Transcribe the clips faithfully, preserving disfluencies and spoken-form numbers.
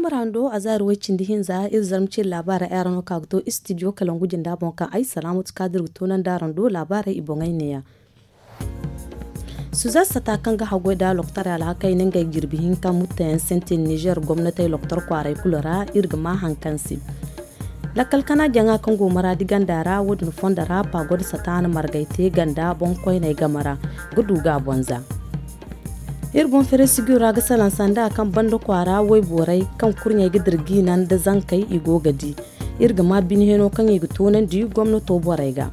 Mara hando a zaari way cindi hinza iri zarma ciri laabaarey ay ra no ka ga to istidiyo kalangu jinda boŋ kaŋ ay salaamatu kaadir ga toonandi araŋ do laabaarey i boŋey neeya. Suzar sata kaŋ ga haggoy da loktaray alhakey na ngey jirbi hinka muttayaŋ sintin nizer gomnatey loktar kwaaray kulu ra iri ga ma haŋ kaŋ se. Lakkal kana jaŋa kaŋ go maraadi ganda ra wo- din fondo ra paago da sata na margay te ganda boŋ koyney game ra ga du ga a bonza. Iri boŋ feresigiro ra ga salaŋ sanda kaŋ banda kwaara wayborey kaŋ kurɲey ga dira ga i naŋ nda zankey i go ga di. Iri ga ma bine heno kaŋ i ga toonandi gomnato borey ga.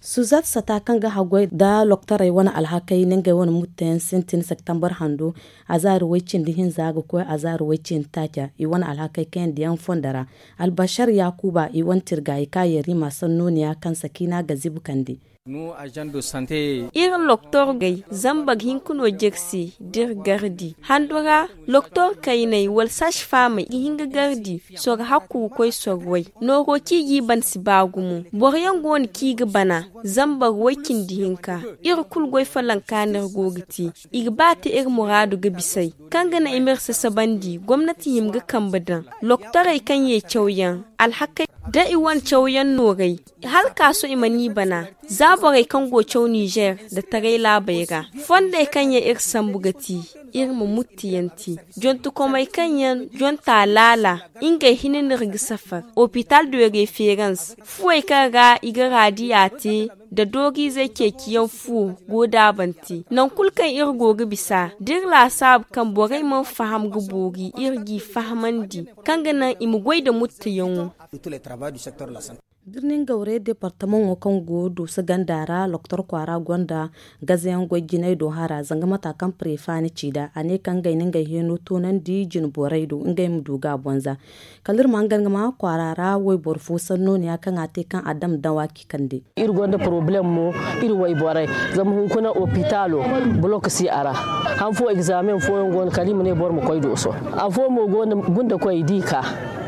Suzat sata kaŋ ga haggoy nda loktorey wane alhakey na ngey wane mutteyaŋ sintin septembar hando, azaari way-cindi hinza ga koy azaari way-cindi taaca i wane alhakey kayandi yaŋ fondo ra. Albashar yaakuba i wane tirgaayi ka yarima sannooniya kaŋ sakiina ga zibu kande. Iri loktorgey zambar hinka no jirsi da iri gardi hando ra. Loktor kayney wala saasi faamey ga hin ga gardi soro hakku ga koy soro way. Nooro kaŋ i g'i ban si ba gumo. Boro yaŋ go no kaŋ i ga bana zambar way-cindi hinka. Iri kulu goy falanka no iri go ga te. I ga ba te iri muraadu ga bis'ey kaŋ ga naŋ i m'iri sasabandi gomnati hima ga kambe daŋ. Loktorey kaŋ ye cawyaŋ alhakey da i wane cawyaŋ nooray. Hala ka sohõ i mana i bana za borey kaŋ go caw nizer nda taray laabey ra. Fondey kaŋ yaŋ iri sambu ga ti iri ma muttiyaŋ te. Jontukomey kaŋ yaŋ jonta laala ngey hina no iri ga safar. Opital de referans fuwey kaŋ ra i ga raadiya te nda dooriizey ceeciyaŋ fuwo go daabante. Nangu kulu kaŋ iri go ga bisa da iri laasaabu kaŋ borey mana faham ga boori iri g'i fahamandi kaŋ ga naŋ i ma goy nda muttiyaŋo. Birnin gawre departamaŋo kaŋ go dooso ganda ra loktor kwaara gonda gazayaŋ goy jinay do hara zanga mata kaŋ prefa na ci nd'a a ne kaŋ ngey na ngey heno toonandi jine borey do ngey ma du ga a bonza. Kala iri ma hangan ga ma kwaara ra wayboro fo sannooniya kaŋ a te kaŋ a dam dawa k'i kande. Iri gonda poroblem mo iri wayborey zama hunkuna opitalo bolok si a ra. Han fo egzamen fooyaŋ go no kala i ma ne boro ma koy dooso. Afo mo go no gunda koy i di ka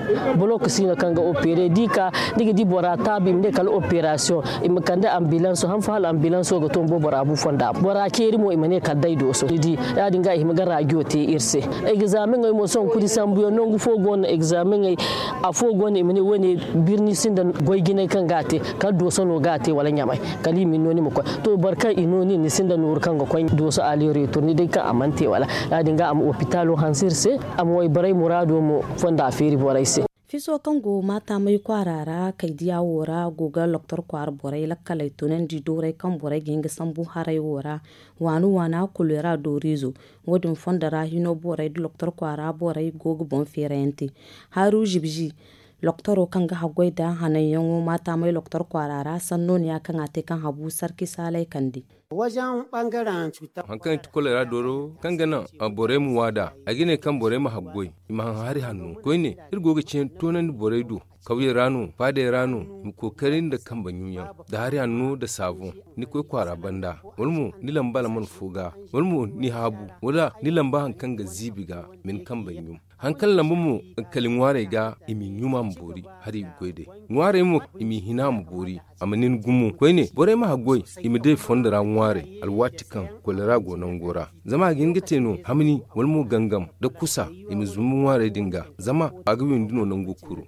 bolok si no kaŋ ga opere di ka ni ga di bora taabi i ma ne kala operasiyoŋ. I ma kande ambilanso han fo hala ambilanso ga to ma bo bora bu fonda bora ceeri mo i ma ne kala day dooso ni di. Ya- din ga i hima ga rajo te iri se. Egzameŋey mo sohõ kuri sambuyaŋ nangu fo go no egzameŋey afo go no i ma ne wo- ne birni sinda goy jinay kaŋ ga a te kala dooso no ga a te wala ɲamay. Kala i ma ni no ni ma koy to boro kaŋ i no nin ni sinda nooru kaŋ ga koy dooso aleretur ni day kaŋ a mana te wala. Ya- din ga a ma opitalo hanse iri se a ma wayborey muraado mo fonda feeri borey se. Fiso kaŋ go maatamay kwaara ra kaydiya wo ra go ga loktor kwaara borey lakkaley tunandi dooray kaŋ borey ga hin ga sambu haray wo ra. Waani waana kulera dooriizo wo- din fondo ra hino borey nda loktor kwaara borey go ga boŋ feerayaŋ te. Haaru zibzi loktoro kaŋ ga haggoy nda hananyaŋo maatamay loktor kwaara ra sannooniya kaŋ a te kaŋ habu sarki saalay kande. Haŋ kaŋ i ti kolera dooro kaŋ ga naŋ borey ma waada ay ga ne kaŋ borey ma haggoy i ma haŋ hari hanno koyne. Iri go ga ceeni toonandi borey do kawyey ra no faadey ra no i ma kookari nda kambe ɲuuyaŋ nda hari hanno nda saaboŋ. Ni koy kwaara banda wala mo ni lamba alman fo ga wala mo ni haabu wala ni lamba haŋ kaŋ ga ziibi ga ma ni kambe ɲum. Haŋ kaŋ lamba mo kala ŋwaarey ga i m'i ɲuma ma boori hari i ga goy day. Ŋwaarey mo i m'i hina ma boori a ma nin gumo koyne borey ma haggoy i ma day fondo ra ŋwaarey alwaati kaŋ kolera go nango ra. Zama a ga hin ga te no hamni wala mo gangam nda kusa i ma zumbu ŋwaarey din ga zama a ga windi no nango kuro.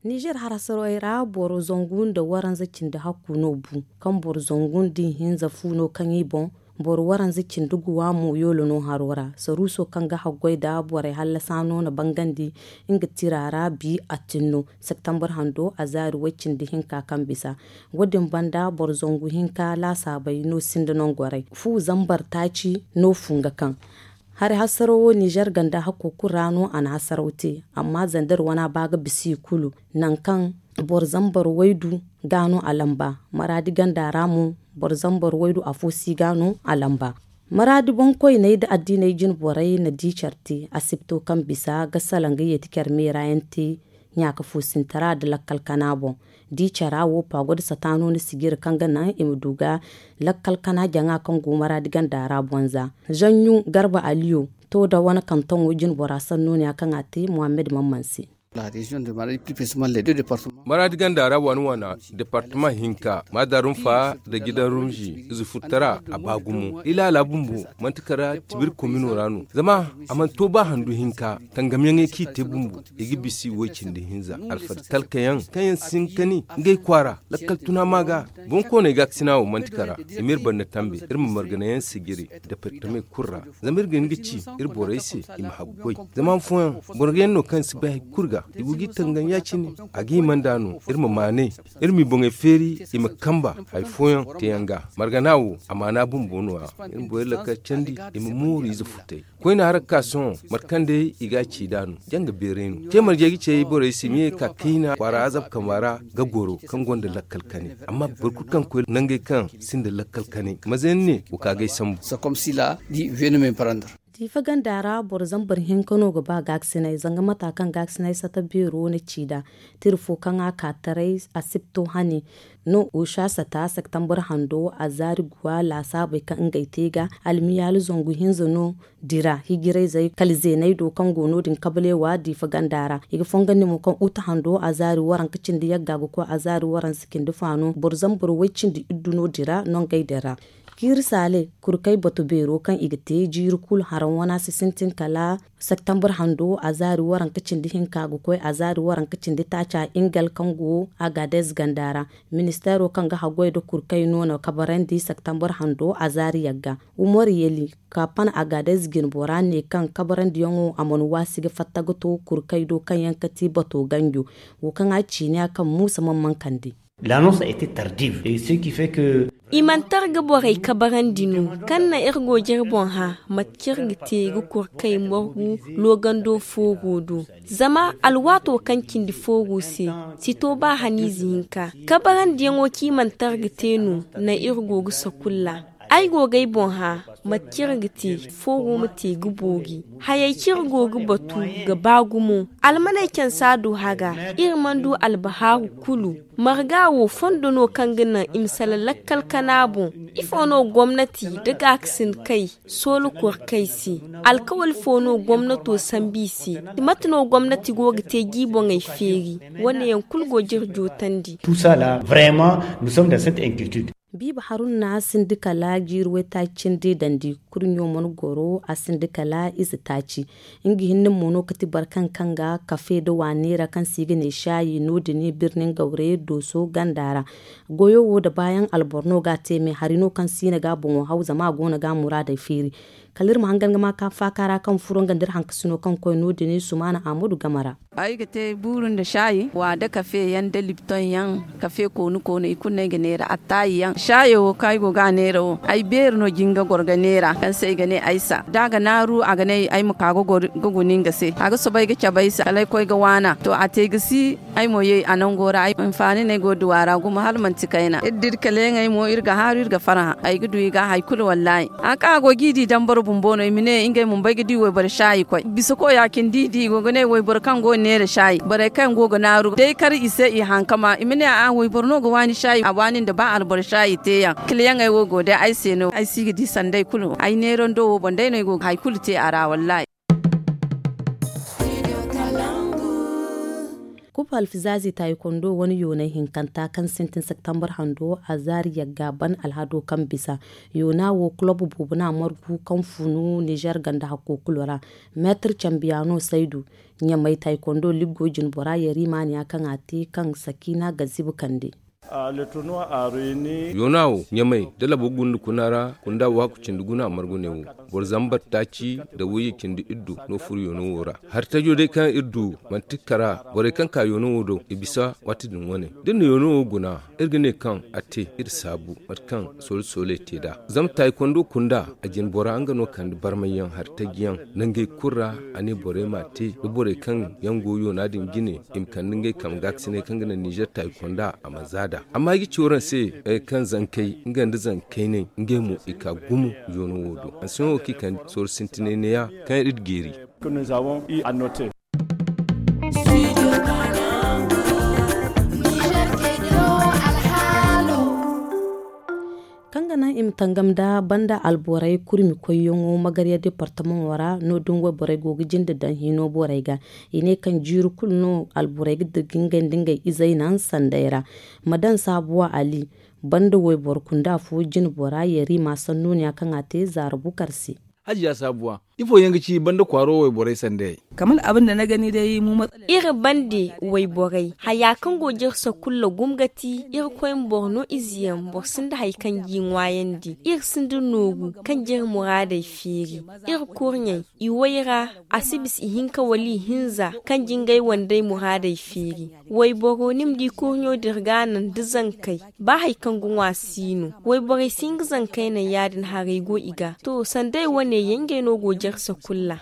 Nizer harasarwey ra boro zangu nda waranza cindi hakku no bu kaŋ boro zangu nda ihinza fu no kaŋ i boŋ. Boro waranza cindi guwa mo yoolo no haro ra saruuso kaŋ ga haggoy nda borey hallasa no na bangandi nga tira ra bi attin no septembar hando a zaari way cindi hinka kaŋ bisa. Wo- din banda boro zangu hinka laasaabey no sinda nangorey fu zambar taaci no fu nga kaŋ hari hasaro wo nizer ganda hakko kulu ra no a na hasaro te. Amma zandar wana ba ga bisa i kulu nangu kaŋ boro zambar waydu ga no a lamba maraadi ganda ra mo boro zambar waydu afo si ga no a lamba. Maraadi boŋkoyney nda addiiney jine borey na di care te asibto kaŋ bisa ga salaŋ ga yeeti care meera yaŋ te. Ɲaaka foosintara nda lakkal kana boŋ di cara wo paago nda sataano na sijiri kaŋ ga naŋ i ma du ga lakkal kana jaŋa kaŋ go maraadi ganda ra bonza. Zanɲu garba aliyo to da wane kantoŋo jine bora sannooniya kaŋ a te muhammad mamman se. Maraadi ganda ra waana waana departama hinka maadarum fa nda gidan rumzi ize furtara a ba gumo ilaala bumbo manti kara tibir komino ra no zama a mana to ba handu hinka tangamyaŋey kaŋ i te bumbo i ga bisa i wo i cindi hinza alfada talkayaŋ kaŋ yaŋ si hin ka ni ngey kwaara lakkal tuna ma ga. Boŋ kooney gaakasina wo manti kara i ma iri banda tambe iri ma marganayaŋ sijiri departamey kulu ra zama iri ga hin ga ci iri borey se i ma haggoy. Zama han fooyaŋ boro yaŋ no kaŋ si bay hari kulu ga i go ga i tangan ya- cine a ga hima nd'a no iri ma maanay iri m'i boŋey feeri i ma kamba hari fooyaŋ teeyaŋ ga margana wo a maana bumbo no- ya iri ma borey lakkal candi i ma mooru ize futay koyne harakka sohõ mate kaŋ day i ga a ci nd'a no janga beeray no te marje ga ce borey se ma ye ga ka kayna kwaara azab kamba ra ga goro kaŋ gonda lakkal kane amma boro kulu kaŋ ga koy nangey kaŋ sinda lakkal kane maza yaŋ ne wa ka ga ay sambu. Diifa ganda ra boro zambar hinka no ga ba gaakasinay zanga mata kaŋ gaakasinay sata beero na ci nd'a tira fo kaŋ a ka taray asibto hane no usha sata septembar hando a zaari guwa laasaabey kaŋ ngey te ga almiyaali zangu hinza no dira hijirayzey kala zeeney do kaŋ go no- din kabaleewa diifa ganda ra i ga fongandi mo kaŋ uta hando a zaari waranka cindi yagga ga koy a zaari waransa cindi faano boro zambar way cindi iddu no dira nongey din ra. Kiiri saale kurkay bato beero kaŋ i ga te jiiri kulu haraŋ wana si sintin kala septembar hando a zaari waranka cindi hinka ga koy a zaari waranka cindi taaca ingal kaŋ go agadez ganda ra. Ministeero kaŋ ga haggoy nda kurkay no na kabarandi septembar hando a zaari yagga umar yeli ka pan agadez jinbora ne kaŋ kabarandiyaŋo a mana waasi ga fatta ga to kurkay do kaŋ yaŋ kati bato ganjo wo kaŋ a ciiniya kaŋ muusa man man kande. L'annonce a été tardive et ce qui fait que i mana targa borey kabarandi no kaŋ na iri go ga iri boŋ hã mate kaŋ iri ga te ga kor kay morgu loogando fooro do. Zama alwaato kaŋ cindi fooro se si to ba haniize hinka kabarandiyaŋo kaŋ i mana targa te no naŋ iri go ga sakulla. Ay go ga ay boŋ hã mate kaŋ iri ga te fooro ma te ga boori. Hayey kaŋ iri go ga batu ga ba gumo almaney cansa du haga iri mana du albahaaru kulu. Marga wo fondo no kaŋ ga naŋ i ma salaŋ lakkal kana boŋ? Ifo no gomnati nda gaakasin kay soola kor kay se? Alkawal fo no gomnato sambu i se? Mate no gomnati go ga te ga i boŋey feeri? Wane yaŋ kulu go ga iri jootandi. Tout ça là vraiment nous sommes dans cette inquiétude. Biiba haruna sindi kala jiiri waytaaci cindi dandi kurɲo mana goro a sindi kala ize taaci. Nga hinne mo no kati barkan kaŋ ga kafe da waneera kaŋ se i ga ne shaayi no- din birnin gaure dooso ganda ra. Goyo wo da baayaŋ alboro no ga a te me hari no kaŋ si i na ga boŋo haw zama a go no ga muraadey feeri. Kala iri ma hangan ga ma ka faaka ra kaŋ furo nga nda iri hankasino kaŋ koy no- din sumaana ahmadu game ra. Ay ga te buuru nda shaayi wa da kafe yaŋ da lipton yaŋ. Kafe koonu koonu i kulu no ay ga neera attaayi yaŋ shaayo wo kaŋ ay go ga a neera wo ay beeri no jinga goro ga neera kaŋ se i ga ne aysa da a ga naaru a ga ne ay ma ka ga guni nga se a ga soobay ga cabe ay se kala ay koy ga waana to a te ga si. Ay mo ye a nango ra ay hinfaani no ay go ga duwa ra gumo hala manti kayna iri da iri kaleeyaŋey mo iri ga haaru iri ga farhã ay ga du i ga hari kulu wallaahi. Haŋ kaŋ a go ga i di dambara bumbo no i ma ne ngey mo bay ga di wayboro shaayi koy bisa koya cine da i di i go ga ne wayboro kaŋ go ga neera shaayi borey kaŋ go ga naaru day kar i se i hankama i ma ne a'a wayboro no ga waani shaayi a waani nda ba alboro shaayi teeyaŋ. Kiliyaŋey wo go day ay se no ay si ga di sanda ay kulu ay neerando wo boŋ day no ay go ga hari kulu te a ra wallaahi. Kupa alfizaazi taayi kondo wane yoonay hinkanta kaŋ sintin septembar hando a zaari yagga ban alhado kaŋ bisa yoona wo kulob boobo no a margu kaŋ funu nizer ganda hakko kulu ra. Meetir cambiyaano saydu ɲamay taayi kondo liggo jinbora yariima ne ya kaŋ a te kaŋ sakiina ga zibi kande. Yoona wo ɲamay da labo gunda kuna ra kunda waaku cindi guna margu ne wo boro zambar taaci nda wayye cindi iddu no furo yoona wo ra. Hari tajo day kaŋ iri du manti kara borey kaŋ ka yoona wo do i bisa waati din wane da iri na yoona wo guna iri ga ne kaŋ a te iri saabu mate kaŋ soole sooley te nd'a zama taayi kondo kunda a jinbora nga no kande barmayyaŋ hari taji yaŋ nangey kulu ra. A ne borey m'a te da borey kaŋ yaŋ go yoona din jine i ma kande ngey kambe gaakasiney kaŋ ga naŋ nizer taayi konda a ma za nd'a. Amma ay ga ci waraŋ se kaŋ zankey nga nda zankayney ngey mo i ka gumo yoona wo do hanseyaŋo kaŋ i kande sooru sintinay neeya kaŋ iri ga geeri. Kaŋ ga naŋ I ma tangam nda banda alborey kurmi koyyaŋo magarya departamaŋo ra no- din wayborey go ga jinde daŋ hino borey ga. I ne kaŋ jiiri kulu no alborey ga dirga ngey nda ngey izey naŋ sanday ra. Ma daŋ saabuwa ali banda wayboro kunda fo jinbora yari ma sannooniya kaŋ a te zaara bukar se. Hajiya saabuwa, ifo yaŋ ga ci banda kwaaro wayborey sandayey? Kamar abin da na gani dai mu matsala. Iri bande wayborey haya kaŋ go jirsa kulla gumgati. Iri koy ma boro no ize yaŋ boro sinda hari kaŋ g'i ŋwaayandi. Iri sinda nooru kaŋ jiri muraadey feeri. Iri kurɲey i way ra, a si bisa ihinka wala ihinza kaŋ jingay wandey muraadey feeri. Wayboro ni ma di kurɲo dirga naŋ da zankey. Ba hari kaŋ ga ŋwa si no wayborey si nga zankey naŋ ya- din haray go i ga to sandey wane yangey no go jarsa kulla.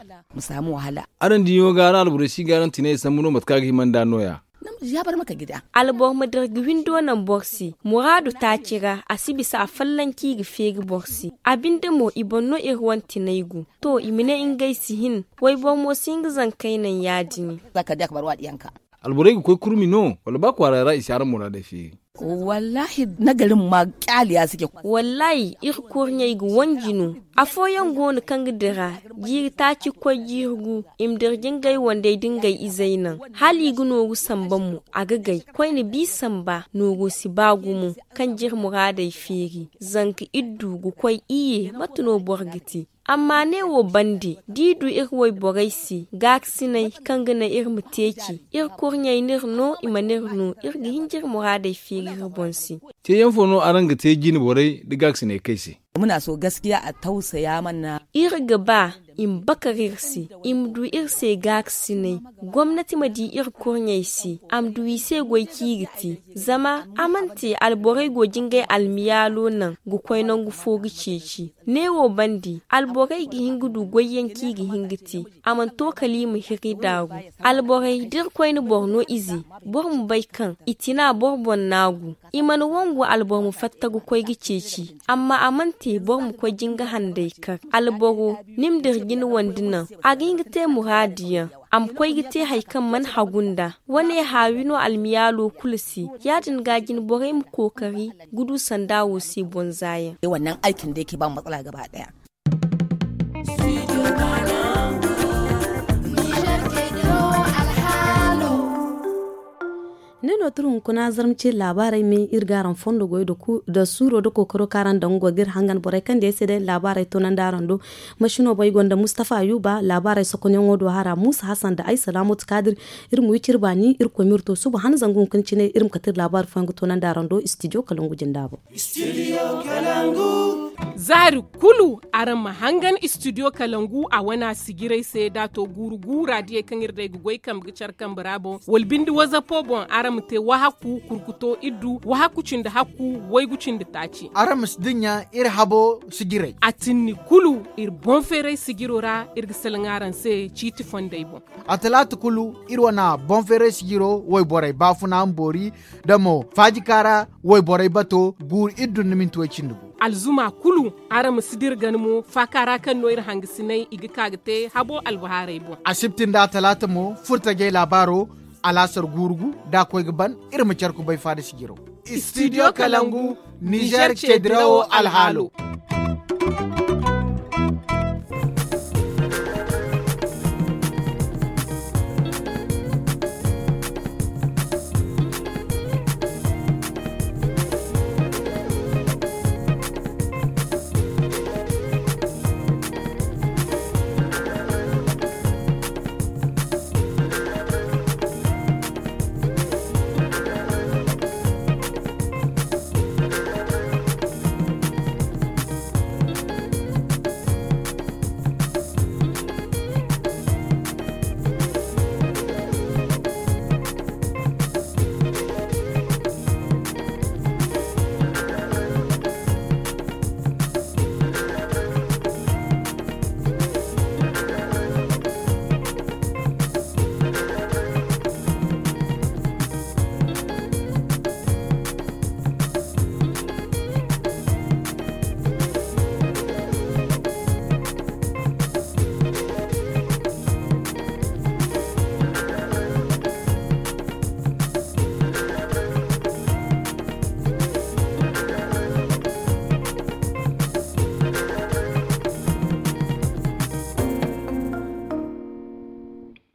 Araŋ diyo ga araŋ alborey si ga araŋ tinay sambu no mate kaŋ a ga hima nd'a no- ya. Alboro ma dira ga windo naŋ boro se muraadu taaci ra a si bisa a fallanci ga feeri boro se. A binde mo i boŋ no iri wane tinay go to i ma ne ngey si hin. Wayboro mo si nga zankey naŋ ya- din. Alborey ga koy kurmi no wala ba kwaara ra i si araŋ muraadey feeri? Wallaahi, nagarin ma kyaali ya si ke. Wallaahi iri kurɲey ga wanji no. Afooyaŋ go no kaŋ ga dira jiiri taaci ga koy jiiri gu. I ma dira jingay wandey da ngey izey naŋ hala i ga nooru samba mo a ga gay. Koyne bi samba nooro si ba gumo kaŋ jiri muraadey feeri. Zanka iddu ga koy iyye mate no boro ga te? Amma neewo bande da i du iri wayborey se gaakasinay kaŋ ga naŋ iri ma teeci. Iri kurɲey n'iri no i mana iri no iri ga hin ga iri muraadey feeri iri boŋ se. Teeyaŋ fo no araŋ ga te jine borey nda gaakasinay kay se? Muna so gaskiya a tawsaya mana. Iri ga ba i ma bakar iri se i ma du iri se gaakasinay. Gomnati ma di iri kurɲey se a ma du i se goy kaŋ i ga te. Zama a mana te alborey go jingay almiyaalo naŋ ga koy nangu fo ga ceeci. Neewo bande alborey ga hin ga du goyyaŋ kaŋ i ga hin ga te. A mana to kala i ma hiri daaru. Alborey da iri koyne boro no ize boro ma bay kaŋ i tina boro boŋ naagu. I mana wangu alboro ma fatta ga koy ga ceeci. Amma a mana te boro ma koy jinga handay kar alboro ni ma dira jine wande naŋ. A ga hin ga te muraadu yaŋ a ma koy ga te hari kaŋ mana hagu nd'a. Wane haawi no almiyaalo kulu se. Ya- din ga jine borey ma kookari ga du sanda wo se bonzaayaŋ. Wannan aikin da yake ba mu matsala gaba daya. Ne no turu hunkuna zarma ce laabaarey me iri ga araŋ fondo goy da suuro da kookaro kaŋ araŋ daŋ go ga iri hangan borey kaŋ day se day laabaarey toonandi araŋ do. Masino boŋ i gonda mustafa ayuba laabaarey sokonyaŋo do hara muusa hasan nda ay salaamotu kaadir. Iri ma wi ciri baani irkoy ma iri to suba han zangu hunkuna cine iri ma kate iri laabaari fooyaŋ ga toonandi araŋ do istidiyo kalangu jinda boŋ. Zaari kulu araŋ ma hangan istidiyo kalangu a wana sijirey se da a to guuru guura diyey kaŋ iri day ga goy kambe ga care kambe ra boŋ wala binde wazapo boŋ araŋ ma te wahakku kurkuto iddu wahakku cindi hakku waygu cindi taaci. Araŋ ma si dinya iri habo sijirey a tinni kulu iri boŋ feeray sijiro ra. Iri ga salaŋ araŋ se ciiti fondey boŋ. A talaata kulu iri wana boŋ feeray sijiro wayborey baafuna ma boori da mo faajikaara wayborey bato guuru iddu nda minti way cindi gu. Alzuma kulu araŋ ma si dira gana mo faaka ra kaŋ no iri hangasinay i ga ka ga te habo albahaarey boŋ. Asibti nda atalaata mo furtajey laabaaro alaasar guuru gu da a koy ga ban iri ma care kubay faada sijiro. Istidiyo kalangu nizer ceedirawo alhaalo.